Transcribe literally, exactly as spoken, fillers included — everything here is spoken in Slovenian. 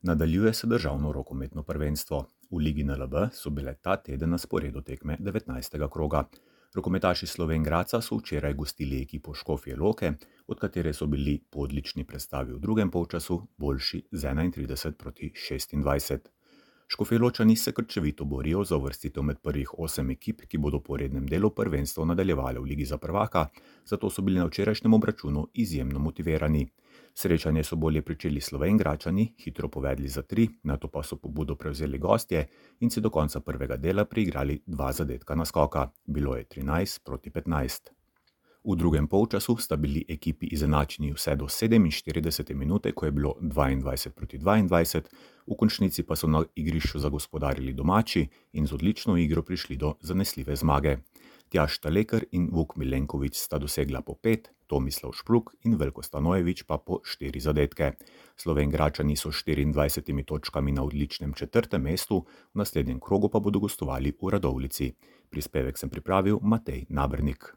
Nadaljuje se državno rokometno prvenstvo. V Ligi N L B so bile ta teden na sporedu tekme devetnajstega kroga. Rokometaši Slovenj Gradca so včeraj gostili ekipo Škofje Loke, od katere so bili po odlični predstavi v drugem polčasu boljši z enaintrideset proti šestindvajset. Škofjeločani se krčevito borijo za uvrstitev med prvih osem ekip, ki bodo po rednem delu prvenstvo nadaljevale v Ligi za prvaka, zato so bili na včerajšnjem obračunu izjemno motivirani. Srečanje so bolje pričeli Slovenjgradčani, hitro povedli za tri, nato pa so pobudo prevzeli gostje in si do konca prvega dela priigrali dva zadetka naskoka. Bilo je trinajst proti petnajst. V drugem polčasu sta bili ekipi izenačeni vse do sedeminštiridesete minute, ko je bilo dvaindvajset proti dvaindvajset, v končnici pa so na igrišču zagospodarili domači in z odlično igro prišli do zanesljive zmage. Tjaž Talekar in Vuk Milenković sta dosegla po pet, Tomislav Špruk in Veljko Stanojević pa po štiri zadetke. Slovenjgradčani so s štiriindvajsetimi točkami na odličnem četrtem mestu, v naslednjem krogu pa bodo gostovali v Radovljici. Prispevek sem pripravil Matej Nabernik.